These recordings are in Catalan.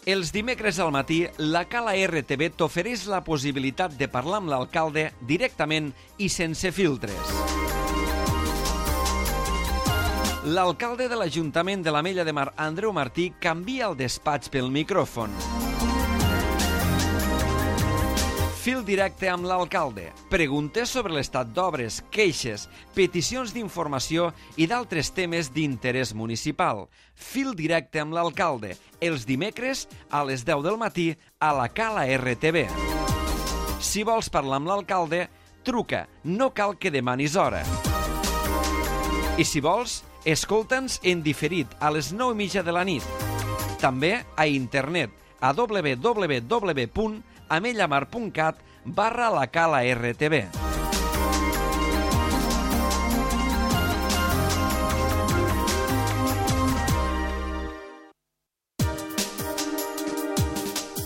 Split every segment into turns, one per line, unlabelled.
Els dimecres al matí, la Cala RTV t'ofereix la possibilitat de parlar amb l'alcalde directament i sense filtres. L'alcalde de l'Ajuntament de l'Ametlla de Mar, Andreu Martí, canvia el despatx pel micròfon. Fil directe amb l'alcalde. Preguntes sobre l'estat d'obres, queixes, peticions d'informació i d'altres temes d'interès municipal. Fil directe amb l'alcalde. Els dimecres a les 10 del matí a la Cala RTV. Si vols parlar amb l'alcalde, truca. No cal que demanis hora. I si vols, escolta'ns en diferit a les 9:30 de la nit. També a internet a www.amellamar.cat/la Cala RTV.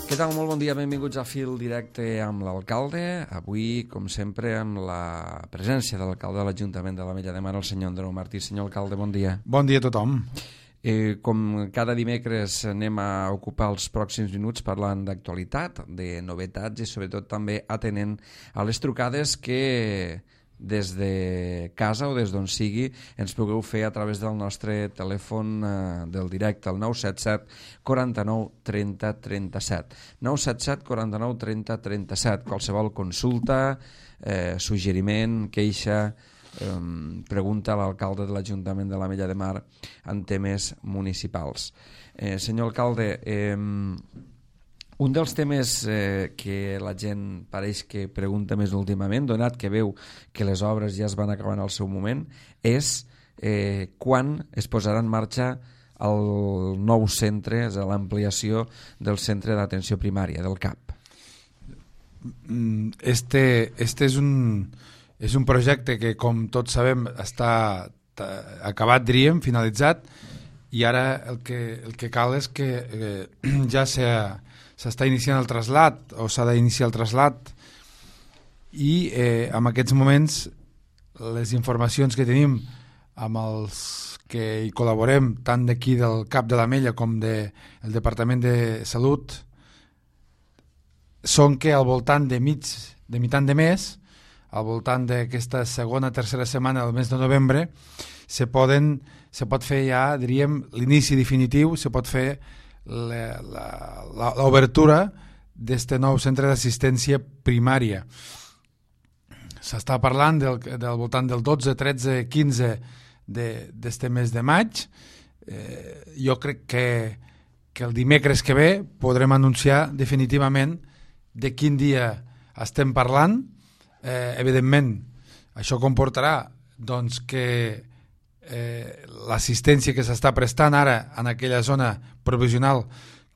Què tal? Molt bon dia, benvinguts a Fil Directe amb l'alcalde. Avui, com sempre, amb la presència de l'alcalde de l'Ajuntament de l'Ametlla de Mar, el senyor Andreu Martí. Senyor alcalde, bon dia.
Bon dia a tothom.
Com cada dimecres anem a ocupar els pròxims minuts parlant d'actualitat, de novetats i sobretot també atenent a les trucades que des de casa o des d'on sigui ens pugueu fer a través del nostre telèfon del directe, el 977 49 30 37. 977 49 30 37. Qualsevol consulta, suggeriment, queixa, pregunta a l'alcalde de l'Ajuntament de l'Ametlla de Mar en temes municipals. Senyor alcalde, un dels temes que la gent pareix que pregunta més últimament, donat que veu que les obres ja es van acabar en el seu moment, és quan es posarà en marxa el nou centre, és l'ampliació del centre d'atenció primària, del CAP.
Este és un projecte que, com tots sabem, està acabat, diríem, finalitzat, i ara el que cal és que ja s'està iniciant el trasllat, o s'ha d'iniciar el trasllat, i en aquests moments les informacions que tenim amb els que hi col·laborem, tant d'aquí del CAP de l'Ametlla com del Departament de Salut, són que al voltant de mitant de mes, al voltant d'aquesta segona, tercera setmana del mes de novembre, se pot fer ja, diríem, l'inici definitiu, se pot fer l'obertura d'este nou centre d'assistència primària. S'està parlant del voltant del 12, 13, 15 d'este mes de maig. Jo crec que el dimecres que ve podrem anunciar definitivament de quin dia estem parlant. Evidentment, això comportarà doncs, que l'assistència que s'està prestant ara en aquella zona provisional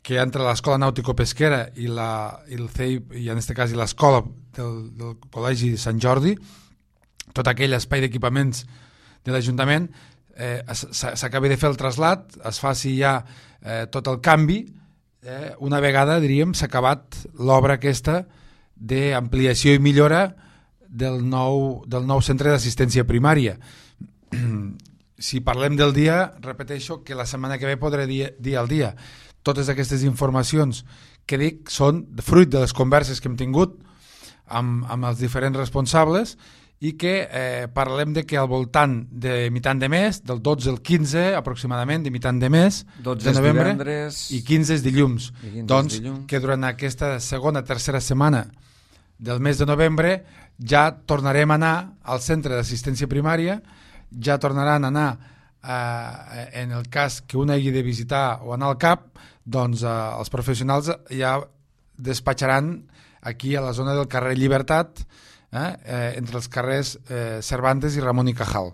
que hi ha entre l'Escola Nàutico-Pesquera i el CEIP, i en aquest cas l'escola del Col·legi Sant Jordi, tot aquell espai d'equipaments de l'Ajuntament, s'acabi de fer el trasllat, es faci ja tot el canvi, una vegada, diríem, s'ha acabat l'obra aquesta d'ampliació i millora del nou centre d'assistència primària. Si parlem del dia, repeteixo que la setmana que ve podré dir al dia. Totes aquestes informacions que dic són fruit de les converses que hem tingut amb els diferents responsables i que parlem de que al voltant de mitant de mes, del 12 al 15 aproximadament, de mitant de mes,
12
de novembre,
divendres,
i 15 és dilluns. Doncs
dilluns.
que durant aquesta segona, tercera setmana del mes de novembre ja tornarem a anar al centre d'assistència primària, ja tornaran a anar, en el cas que un hagi de visitar o anar al CAP, doncs els professionals ja despatxaran aquí a la zona del carrer Llibertat, entre els carrers Cervantes i Ramon y Cajal.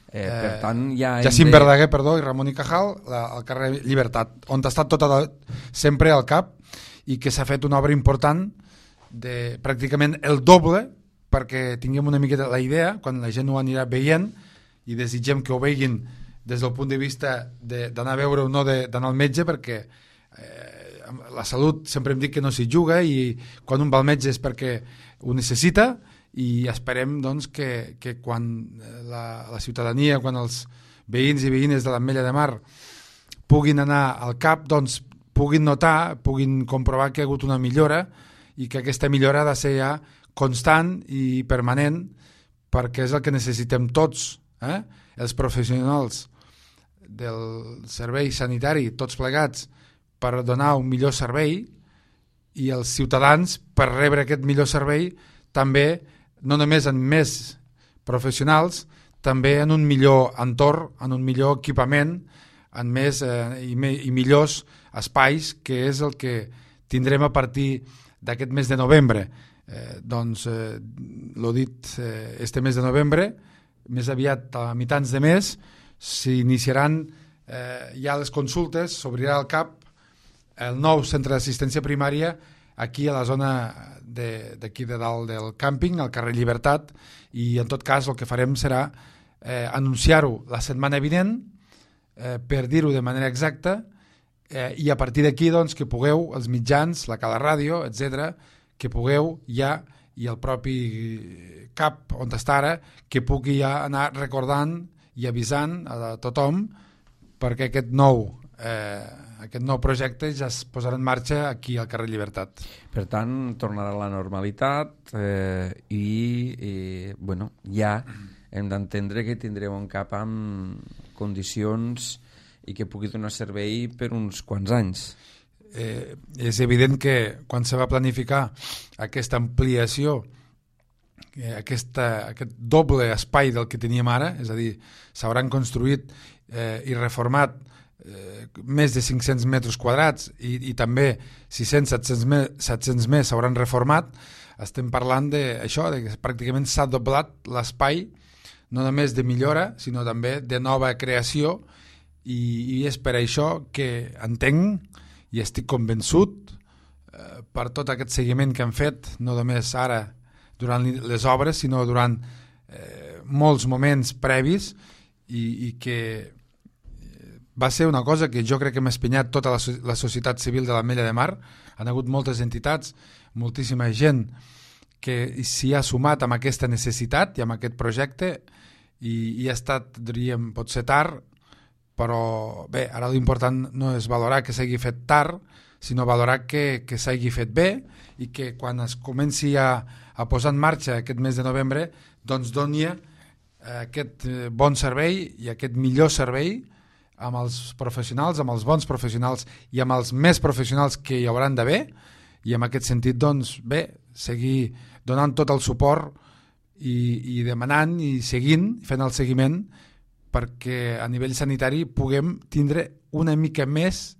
Per tant,
Jacint Verdaguer, perdó, i Ramon y Cajal, al carrer Llibertat, on ha estat sempre al CAP, i que s'ha fet una obra important de pràcticament el doble, perquè tinguem una miqueta la idea, quan la gent ho anirà veient, i desitgem que ho veguin des del punt de vista d'anar a veure o no d'anar al metge, perquè la salut sempre hem dit que no s'hi juga, i quan un va al metge és perquè ho necessita, i esperem doncs, que quan la ciutadania, quan els veïns i veïnes de l'Ametlla de Mar puguin anar al CAP, doncs puguin notar, puguin comprovar que hi ha hagut una millora i que aquesta millora ha de ser ja constant i permanent, perquè és el que necessitem tots, els professionals del servei sanitari, tots plegats, per donar un millor servei, i els ciutadans per rebre aquest millor servei també, no només en més professionals, també en un millor entorn, en un millor equipament, en més i millors espais, que és el que tindrem a partir d'aquest mes de novembre. L'ho dit, este mes de novembre, més aviat a mitjans de mes, s'iniciaran ja les consultes, s'obrirà el CAP, el nou centre d'assistència primària, aquí a la zona d'aquí de dalt del càmping, al carrer Llibertat, i en tot cas el que farem serà anunciar-ho la setmana vinent, per dir-ho de manera exacta, i a partir d'aquí doncs, que pugueu, els mitjans, la Cala Ràdio, etc., que pugueu ja, i el propi CAP on està ara, que pugui ja anar recordant i avisant a tothom perquè aquest nou projecte ja es posarà en marxa aquí al carrer Llibertat.
Per tant, tornarà a la normalitat i bueno, ja hem d'entendre que tindrem un CAP amb condicions i que pugui donar servei per uns quants anys.
És evident que quan se va planificar aquesta ampliació, aquest doble espai del que teníem ara, és a dir, s'hauran construït i reformat més de 500 metres quadrats i també 600-700 més s'hauran reformat, estem parlant d'això, que pràcticament s'ha doblat l'espai, no només de millora, sinó també de nova creació, i és per això que entenc i estic convençut per tot aquest seguiment que han fet, no només ara durant les obres, sinó durant molts moments previs, i que va ser una cosa que jo crec que m'ha espenyat tota la societat civil de l'Ametlla de Mar. Han hagut moltes entitats, moltíssima gent que s'hi ha sumat amb aquesta necessitat i amb aquest projecte, i ha estat, diríem, potser tard, però bé, ara l'important no és valorar que s'hagi fet tard, sinó valorar que s'hagi fet bé, i que quan es comenci a posar en marxa aquest mes de novembre, doncs doni aquest bon servei i aquest millor servei amb els professionals, amb els bons professionals i amb els més professionals que hi hauran d'haver, i en aquest sentit, doncs, bé, seguir donant tot el suport i demanant i seguint, fent el seguiment, perquè a nivell sanitari puguem tindre una mica més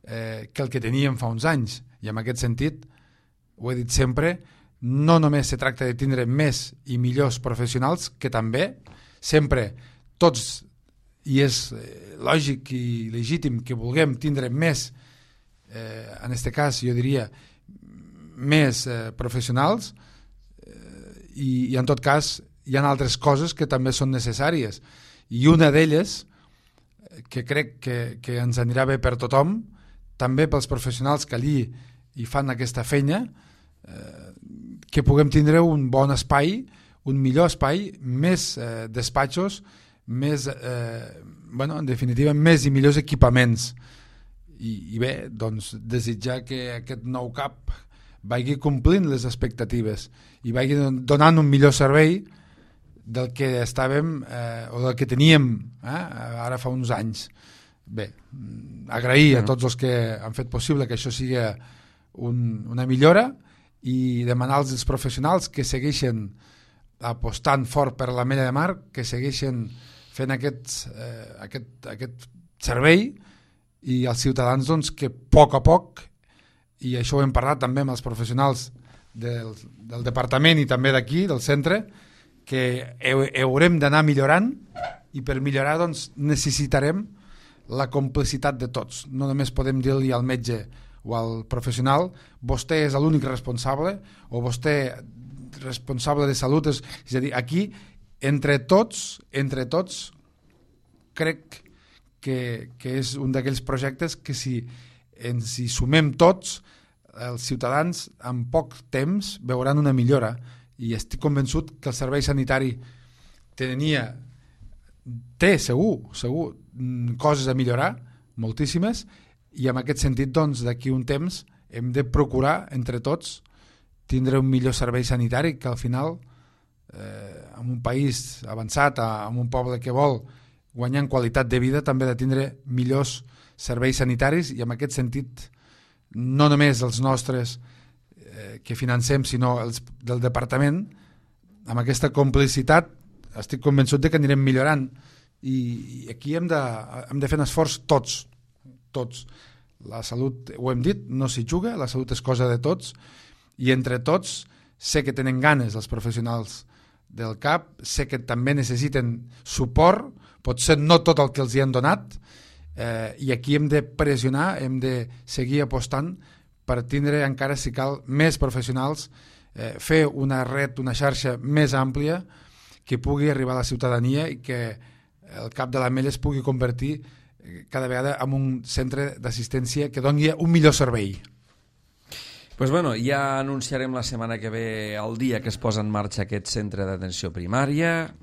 que el que teníem fa uns anys. I en aquest sentit, ho he dit sempre, no només se tracta de tindre més i millors professionals, que també, sempre, tots, i és lògic i legítim que vulguem tindre més, en aquest cas jo diria més professionals, i en tot cas hi ha altres coses que també són necessàries, i una d'elles que crec que ens anirà bé per tothom, també pels professionals que allí hi fan aquesta feina, que puguem tindre un bon espai, un millor espai, més despatxos, més, en definitiva, més i millors equipaments. I bé, doncs, desitjar que aquest nou CAP vagi complint les expectatives i vagi donant un millor servei del que estàvem o del que teníem ara fa uns anys. Bé, agrair a tots els que han fet possible que això sigui una millora, i demanar als professionals que segueixen apostant fort per l'Ametlla de Mar, que segueixen fent aquest servei, i als ciutadans doncs, que a poc, i això ho hem parlat també amb els professionals del departament i també d'aquí, del centre, que haurem d'anar millorant, i per millorar doncs, necessitarem la complicitat de tots. No només podem dir-li al metge o al professional, vostè és l'únic responsable, o vostè responsable de salut, és a dir, aquí entre tots crec que és un d'aquells projectes que si ens hi sumem tots, els ciutadans en poc temps veuran una millora, i estic convençut que el servei sanitari té segur coses a millorar, moltíssimes, i en aquest sentit, doncs, d'aquí un temps hem de procurar, entre tots, tindre un millor servei sanitari, que al final, en un país avançat, en un poble que vol guanyar en qualitat de vida, també ha de tindre millors serveis sanitaris, i en aquest sentit, no només els nostres que financem, sinó els del departament, amb aquesta complicitat estic convençut de que anirem millorant, i aquí hem de fer un esforç tots. La salut, ho hem dit, no s'hi juga, la salut és cosa de tots, i entre tots sé que tenen ganes els professionals del CAP, sé que també necessiten suport, potser no tot el que els hi han donat, i aquí hem de pressionar, hem de seguir apostant per tindre encara, si cal, més professionals, fer una red, una xarxa més àmplia que pugui arribar a la ciutadania i que el CAP de l'Ametlla es pugui convertir cada vegada en un centre d'assistència que doni un millor servei.
Pues bueno, ja anunciarem la setmana que ve el dia que es posa en marxa aquest centre d'atenció primària,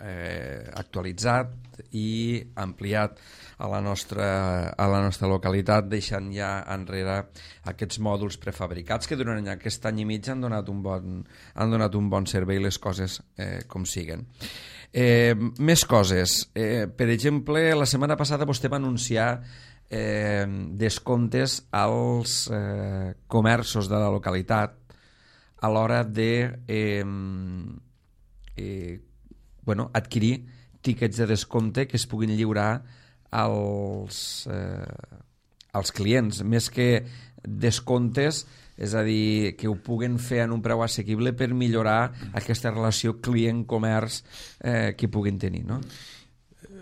actualitzat i ampliat a la nostra localitat, deixant ja enrere aquests mòduls prefabricats que durant aquest any i mig han donat un bon servei, les coses com siguen. Més coses. Per exemple, la setmana passada vostè va anunciar descomptes als comerços de la localitat a l'hora de adquirir tíquets de descompte que es puguin lliurar als clients, més que descomptes, és a dir, que ho puguen fer en un preu assequible per millorar aquesta relació client-comerç que puguin tenir, no?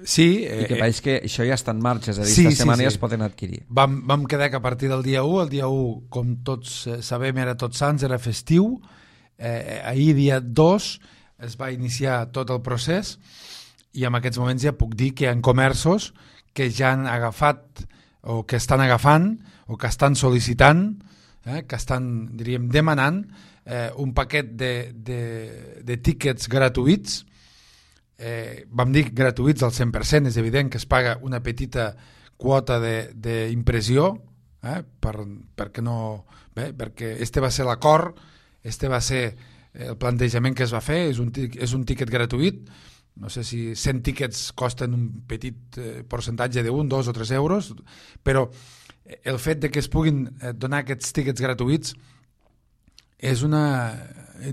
Sí.
I que pareix que això ja està en marxa, és a dir, aquesta setmana ja es poden adquirir.
Vam quedar que a partir del dia 1, el dia 1, com tots sabem, era Tots Sants, era festiu. Ahir, dia 2, es va iniciar tot el procés, i en aquests moments ja puc dir que hi ha comerços que ja han agafat, o que estan agafant, o que estan sol·licitant, que estan, diríem, demanant un paquet de tíquets gratuïts. Vam dir gratuïts al 100%, és evident que es paga una petita quota d'impressió, perquè este va ser l'acord, este va ser el plantejament que es va fer, és un tíquet gratuït. No sé si 100 tíquets costen un petit percentatge de 1, 2 o 3 euros, però el fet de que es puguin donar aquests tíquets gratuïts és jo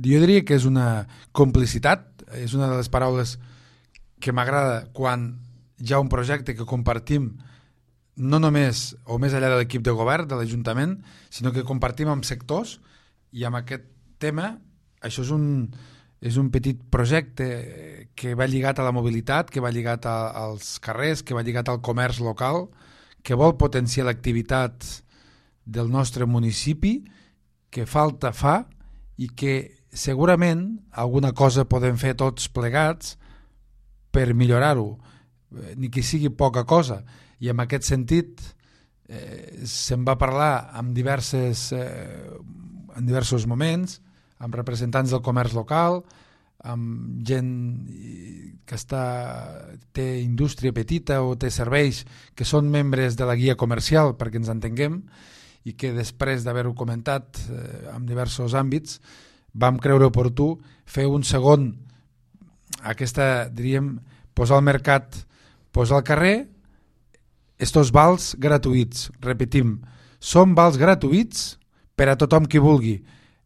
diria que és una complicitat, és una de les paraules que m'agrada quan hi ha un projecte que compartim no només o més enllà de l'equip de govern, de l'Ajuntament, sinó que compartim amb sectors, i amb aquest tema això és un petit projecte que va lligat a la mobilitat, que va lligat als carrers, que va lligat al comerç local, que vol potenciar l'activitat del nostre municipi, que falta fa, i que segurament alguna cosa podem fer tots plegats per millorar-ho, ni que sigui poca cosa. I en aquest sentit se'n va parlar en diversos moments, amb representants del comerç local, amb gent que té indústria petita o té serveis que són membres de la guia comercial, perquè ens entenguem, i que després d'haver-ho comentat en diversos àmbits vam creure oportú fer un segon, diríem, posar al mercat, posar al carrer estos vals gratuïts. Repetim, són vals gratuïts per a tothom qui vulgui.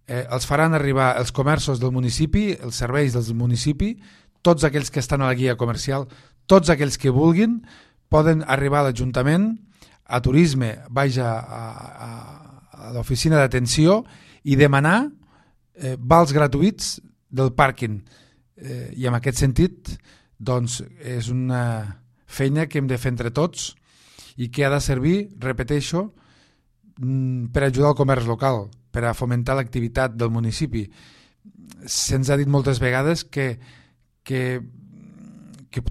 Els faran arribar els comerços del municipi, els serveis del municipi, tots aquells que estan a la guia comercial, tots aquells que vulguin poden arribar a l'Ajuntament, a Turisme, a l'oficina d'atenció, i demanar vals gratuïts del pàrquing. I en aquest sentit, doncs, és una feina que hem de fer entre tots i que ha de servir, repeteixo, per ajudar el comerç local, per a fomentar l'activitat del municipi. Se'ns ha dit moltes vegades que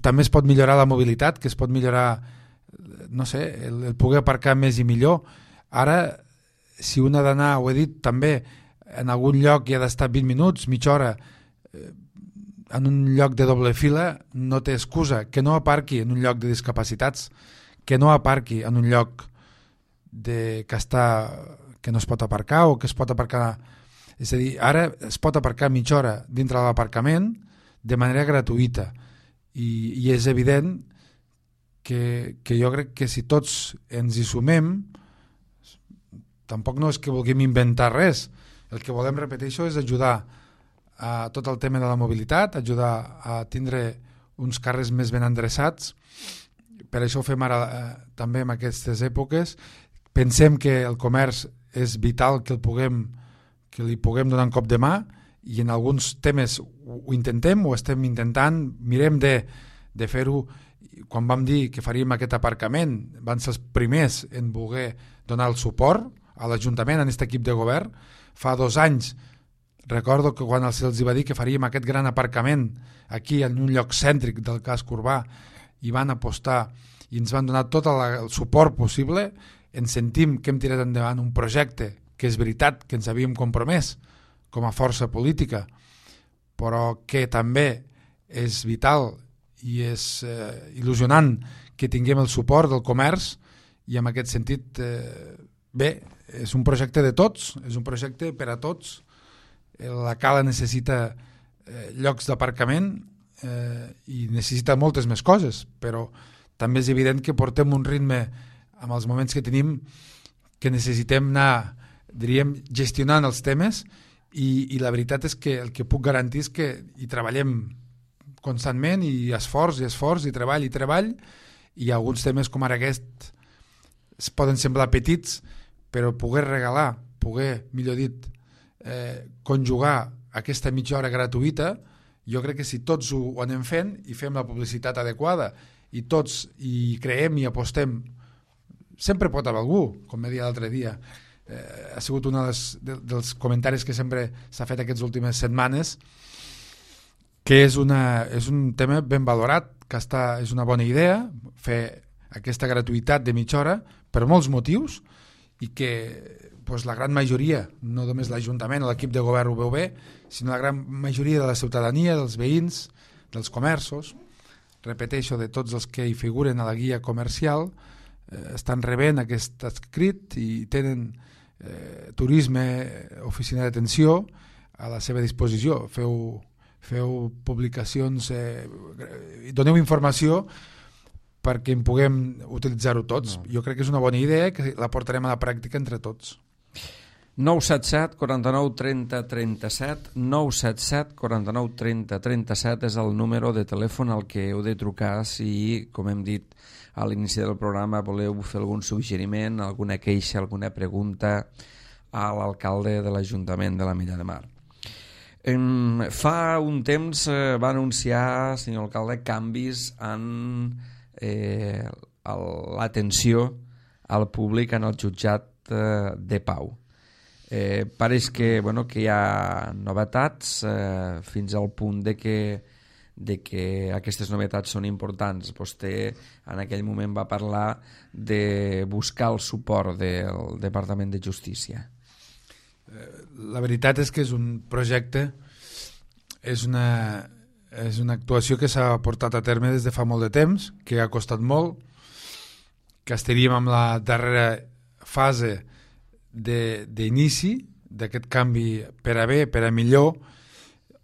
també es pot millorar la mobilitat, que es pot millorar, no sé, el poder aparcar més i millor. Ara, si un ha d'anar, ho he dit també, en algun lloc hi ha d'estar 20 minuts, mitja hora, en un lloc de doble fila, no té excusa. Que no aparqui en un lloc de discapacitats, que no aparqui en un lloc que no es pot aparcar o que es pot aparcar... És a dir, ara es pot aparcar mitja hora dintre de l'aparcament de manera gratuïta i és evident que jo crec que si tots ens hi sumem, tampoc no és que vulguem inventar res, el que volem, repeteixo, és ajudar a tot el tema de la mobilitat, ajudar a tindre uns carrers més ben endreçats. Per això ho fem ara també en aquestes èpoques. Pensem que el comerç és vital que li puguem donar un cop de mà i en alguns temes ho intentem, ho estem intentant, mirem de fer-ho. Quan vam dir que faríem aquest aparcament van ser els primers en voler donar el suport a l'Ajuntament, en aquest equip de govern. Fa 2 anys recordo que quan se'ls va dir que faríem aquest gran aparcament aquí en un lloc cèntric del casc urbà i van apostar i ens van donar tot el suport possible, ens sentim que hem tirat endavant un projecte que és veritat que ens havíem compromès com a força política, però que també és vital i és il·lusionant que tinguem el suport del comerç i en aquest sentit, bé, és un projecte de tots, és un projecte per a tots. La Cala necessita llocs d'aparcament i necessita moltes més coses, però també és evident que portem un ritme amb els moments que tenim que necessitem anar, diríem, gestionant els temes i la veritat és que el que puc garantir és que hi treballem constantment i esforç i treball i alguns temes com ara aquest es poden semblar petits però poder regalar, millor dit, conjugar aquesta mitja hora gratuïta, jo crec que si tots ho anem fent i fem la publicitat adequada i tots hi creiem i apostem, sempre pot haver algú, com me deia l'altre dia, ha sigut un dels comentaris que sempre s'ha fet aquestes últimes setmanes, que és un tema ben valorat, que és una bona idea fer aquesta gratuïtat de mitja hora per molts motius i que la gran majoria, no només l'Ajuntament o l'equip de govern ho veu bé, sinó la gran majoria de la ciutadania, dels veïns, dels comerços, repeteixo, de tots els que hi figuren a la guia comercial, estan rebent aquest escrit i tenen turisme, oficina d'atenció a la seva disposició. Feu publicacions, doneu informació perquè en puguem utilitzar-ho tots. Jo crec que és una bona idea que la portarem a la pràctica entre tots.
977 49 30 37 977 49 30 37 és el número de telèfon al que heu de trucar si, com hem dit a l'inici del programa, voleu fer algun suggeriment, alguna queixa, alguna pregunta a l'alcalde de l'Ajuntament de l'Ametlla de Mar. Fa un temps va anunciar, senyor alcalde, canvis en l'atenció al públic en el jutjat de Pau. Pareix que hi ha novetats fins al punt de que aquestes novetats són importants. Vostè en aquell moment va parlar de buscar el suport del Departament de Justícia.
La veritat és que és un projecte, és una actuació que s'ha portat a terme des de fa molt de temps, que ha costat molt, que estaríem amb la darrera fase d'inici d'aquest canvi per a bé, per a millor,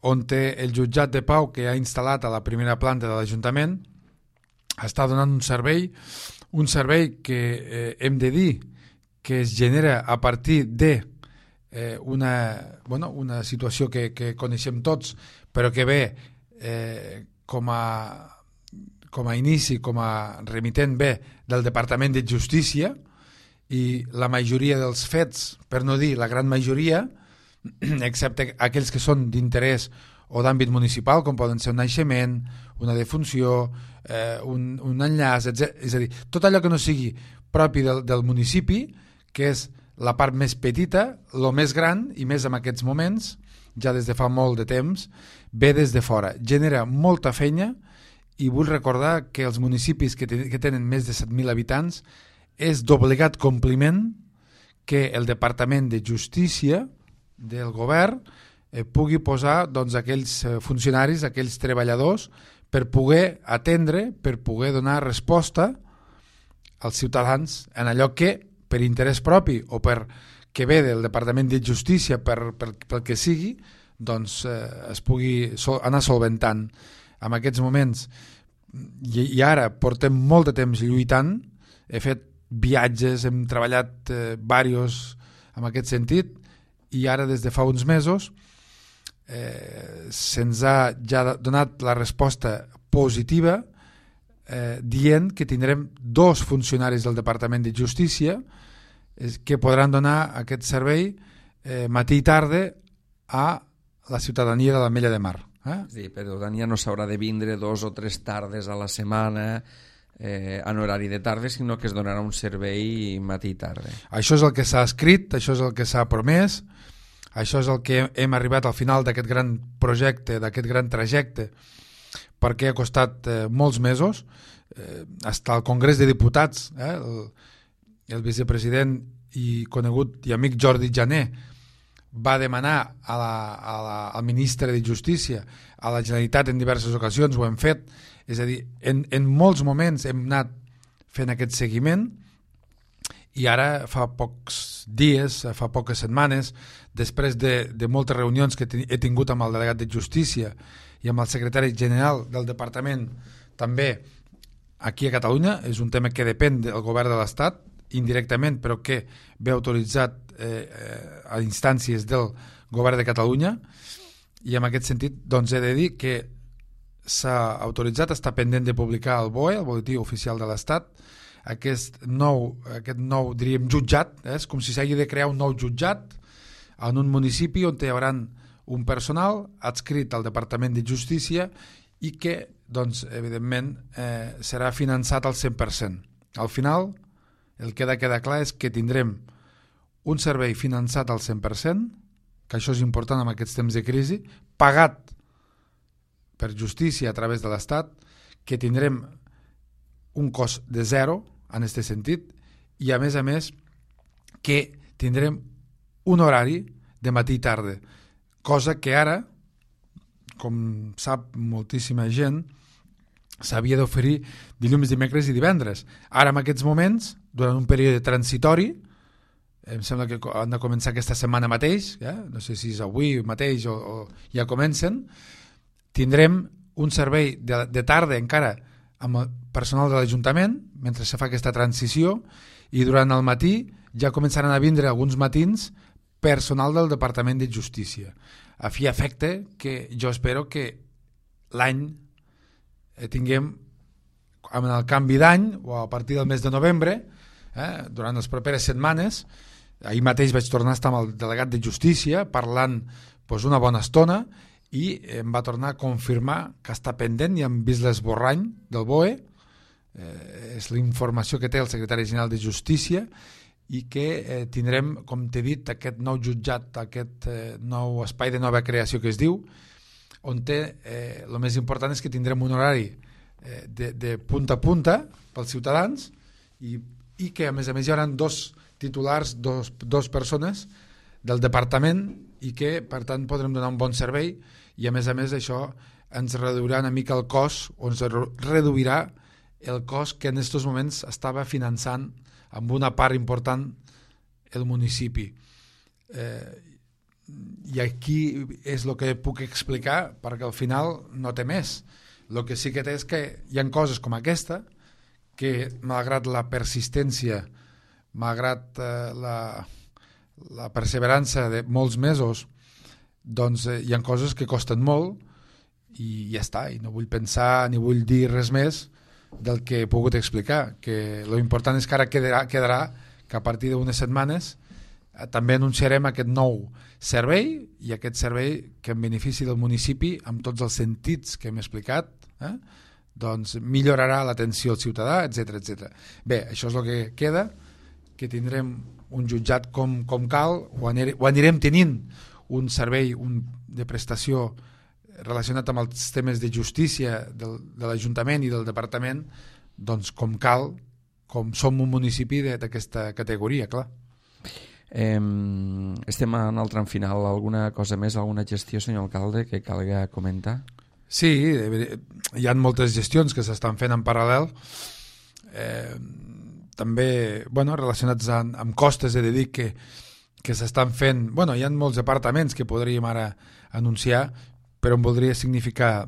on té el jutjat de Pau que ha instal·lat a la primera planta de l'Ajuntament, està donant un servei que hem de dir que es genera a partir de una situació que coneixem tots, però que ve com a inici, com a remitent bé del Departament de Justícia, i la majoria dels fets, per no dir la gran majoria, excepte aquells que són d'interès o d'àmbit municipal, com poden ser un naixement, una defunció, un enllaç, etc. És a dir, tot allò que no sigui propi del municipi, que és la part més petita, el més gran, i més en aquests moments, ja des de fa molt de temps, ve des de fora. Genera molta feina i vull recordar que els municipis que tenen més de 7.000 habitants és d'obligat compliment que el Departament de Justícia del govern pugui posar aquells funcionaris, aquells treballadors, per poder atendre, per poder donar resposta als ciutadans en allò que per interès propi o per que ve del Departament de Justícia pel que sigui, doncs es pugui anar solventant. En aquests moments, i ara portem molt de temps lluitant, he fet viatges, hem treballat diversos en aquest sentit, i ara des de fa uns mesos se'ns ha ja donat la resposta positiva dient que tindrem 2 funcionaris del Departament de Justícia que podran donar aquest servei matí i tarda a la ciutadania de l'Ametlla de Mar.
Sí, però ja no s'haurà de vindre 2 o 3 tardes a la setmana en horari de tarda, sinó que es donarà un servei matí i tarda.
Això és el que s'ha escrit, això és el que s'ha promès, això és el que hem arribat al final d'aquest gran projecte, d'aquest gran trajecte, perquè ha costat molts mesos, fins al Congrés de Diputats, el vicepresident i conegut i amic Jordi Jané va demanar al ministre de Justícia, a la Generalitat en diverses ocasions, ho hem fet, és a dir, en molts moments hem anat fent aquest seguiment, i ara fa pocs dies, fa poques setmanes, després de moltes reunions que he tingut amb el delegat de Justícia i amb el secretari general del departament, també aquí a Catalunya, és un tema que depèn del govern de l'Estat, indirectament, però que ve autoritzat a instàncies del govern de Catalunya, i en aquest sentit doncs he de dir que s'ha autoritzat, està pendent de publicar el BOE, el Boletí Oficial de l'Estat, aquest nou diríem jutjat, és com si s'hagi de crear un nou jutjat en un municipi on hi haurà un personal adscrit al Departament de Justícia i que, doncs, evidentment, serà finançat al 100%. Al final, el que ha de quedar clar és que tindrem un servei finançat al 100%, que això és important en aquests temps de crisi, pagat per justícia a través de l'Estat, que tindrem un cost de 0 en aquest sentit, i a més que tindrem un horari de matí i tarda, cosa que ara, com sap moltíssima gent, s'havia d'oferir dilluns, dimecres i divendres. Ara, en aquests moments, durant un període transitori, em sembla que han de començar aquesta setmana mateix, no sé si és avui mateix o ja comencen, tindrem un servei de tarda encara amb el personal de l'Ajuntament, mentre se fa aquesta transició, i durant el matí ja començaran a vindre alguns matins personal del Departament de Justícia. A fi efecte que jo espero que l'any tinguem, amb el canvi d'any, o a partir del mes de novembre, durant les properes setmanes, ahir mateix vaig tornar a estar amb el delegat de Justícia parlant una bona estona, i em va tornar a confirmar que està pendent, i hem vist l'esborrany del BOE, és la informació que té el secretari general de Justícia, i que tindrem, com t'he dit, aquest nou jutjat, aquest nou espai de nova creació que es diu, on el més important és que tindrem un horari de punta a punta pels ciutadans, i que a més hi haurà 2 titulars, dos persones del departament, i que per tant podrem donar un bon servei, i a més això ens reduirà una mica el cost, o ens reduirà el cost que en aquests moments estava finançant amb una part important el municipi. I aquí és el que puc explicar, perquè al final no té més. El que sí que té és que hi ha coses com aquesta que, malgrat la persistència, malgrat la perseverança de molts mesos, doncs hi ha coses que costen molt, i ja està, i no vull pensar ni vull dir res més del que he pogut explicar, que l'important és que ara quedarà que a partir d'unes setmanes també anunciarem aquest nou servei, i aquest servei que en benefici del municipi, amb tots els sentits que hem explicat, doncs millorarà l'atenció al ciutadà, etc. Bé, això és el que queda, que tindrem un jutjat com cal, o anirem tenint un servei de prestació relacionat amb els temes de justícia de l'Ajuntament i del Departament, doncs com cal, com som un municipi d'aquesta categoria, clar.
Estem en el tram final. Alguna cosa més, alguna gestió, senyor alcalde, que calga comentar?
Sí, hi ha moltes gestions que s'estan fent en paral·lel. també relacionats amb costes, he de dir que s'estan fent... Hi ha molts departaments que podríem ara anunciar, però em voldria significar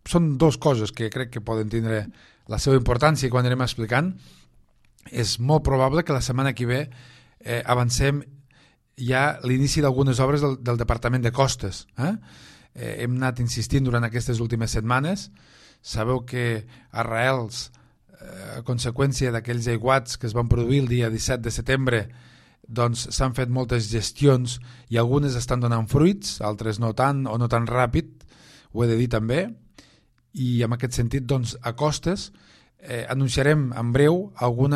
són dos coses que crec que poden tindre la seva importància i quan anem explicant. És molt probable que la setmana que ve avancem ja l'inici d'algunes obres del Departament de Costes. Hem anat insistint durant aquestes últimes setmanes. Sabeu que arrels, a conseqüència d'aquells aiguats que es van produir el dia 17 de setembre, doncs s'han fet moltes gestions i algunes estan donant fruits, altres no tant o no tan ràpid, ho he de dir també, i en aquest sentit doncs, a Costes anunciarem en breu algun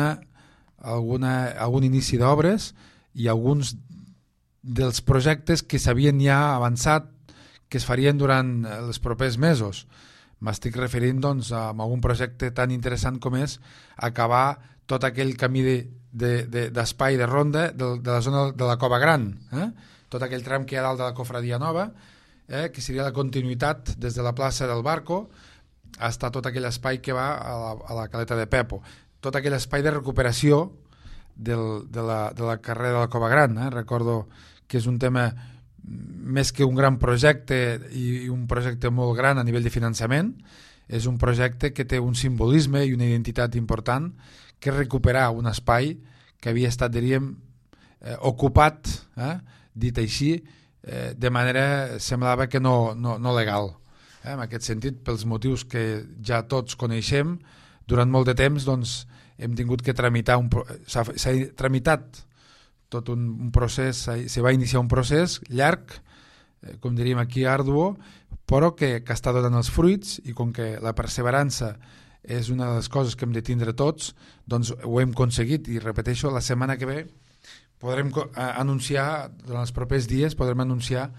inici d'obres i alguns dels projectes que s'havien ja avançat que es farien durant els propers mesos. M'estic referint doncs, a algun projecte tan interessant com és acabar tot aquell camí d'espai de ronda de la zona de la Cova Gran, tot aquell tram que hi ha dalt de la Cofradia Nova, que seria la continuïtat des de la plaça del Barco fins a tot aquell espai que va a la Caleta de Pepo, tot aquell espai de recuperació de la carrera de la Cova Gran. Recordo que és un tema més que un gran projecte i un projecte molt gran a nivell de finançament, és un projecte que té un simbolisme i una identitat important, que és recuperar un espai que havia estat, diríem, ocupat, dit així, de manera semblava que no legal. En aquest sentit, pels motius que ja tots coneixem, durant molt de temps doncs, hem tingut que tramitar, s'ha tramitat tot un procés, se va iniciar un procés llarg, com diríem aquí, arduo, però que està donant els fruits, i com que la perseverança és una de les coses que hem de tindre tots, doncs ho hem aconseguit, i repeteixo, la setmana que ve podrem anunciar, durant els propers dies, podrem anunciar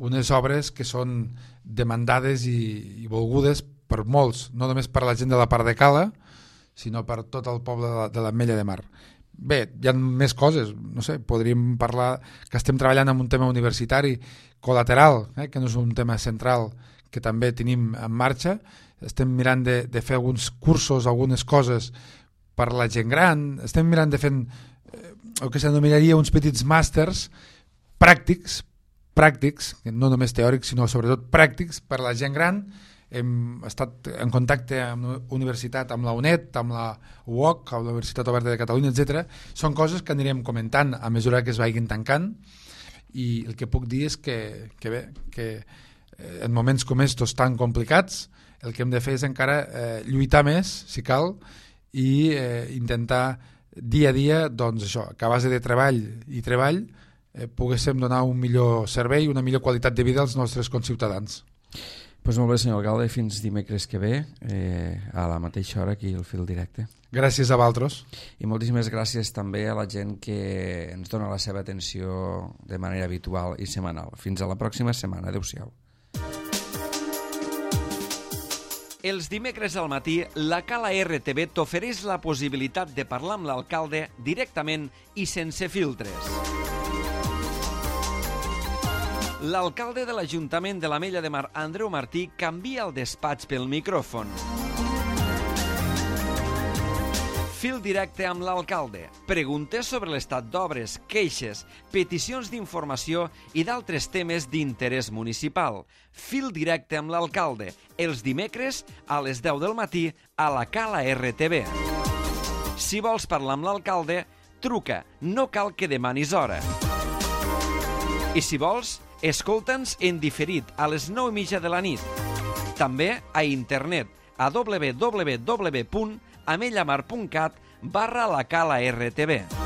unes obres que són demandades i volgudes per molts, no només per la gent de la part de Cala, sinó per tot el poble de l'Ametlla de Mar. Bé, hi ha més coses, no sé, podríem parlar que estem treballant en un tema universitari col·lateral, que no és un tema central, que també tenim en marxa. Estem mirant de fer alguns cursos, algunes coses per la gent gran, estem mirant de fer el que s'anomenaria uns petits màsters pràctics, no només teòrics, sinó sobretot pràctics per la gent gran. Hem estat en contacte amb la universitat, amb la UNED, amb la UOC, amb la Universitat Oberta de Catalunya, etc. Són coses que anirem comentant a mesura que es vagin tancant, i el que puc dir és que en moments com estos tan complicats el que hem de fer és encara lluitar més, si cal, i intentar dia a dia, doncs això, que a base de treball i treball poguéssim donar un millor servei, una millor qualitat de vida als nostres conciutadans.
Pues molt bé, senyor alcalde, fins dimecres que ve, a la mateixa hora aquí al Fil Directe.
Gràcies a vosaltres.
I moltíssimes gràcies també a la gent que ens dona la seva atenció de manera habitual i setmanal. Fins a la pròxima setmana. Adéu-siau. Els dimecres al matí, la Cala RTV t'ofereix la possibilitat de parlar amb l'alcalde directament i sense filtres. L'alcalde de l'Ajuntament de l'Ametlla de Mar, Andreu Martí, canvia el despatx pel micròfon. Fil directe amb l'alcalde. Preguntes sobre l'estat d'obres, queixes, peticions d'informació i d'altres temes d'interès municipal. Fil directe amb l'alcalde. Els dimecres a les 10 del matí a la Cala RTV. Si vols parlar amb l'alcalde, truca. No cal que demanis hora. I si vols, escolta'ns en diferit a les 9:30 de la nit. També a internet a www.amellamar.cat/la Cala RTV.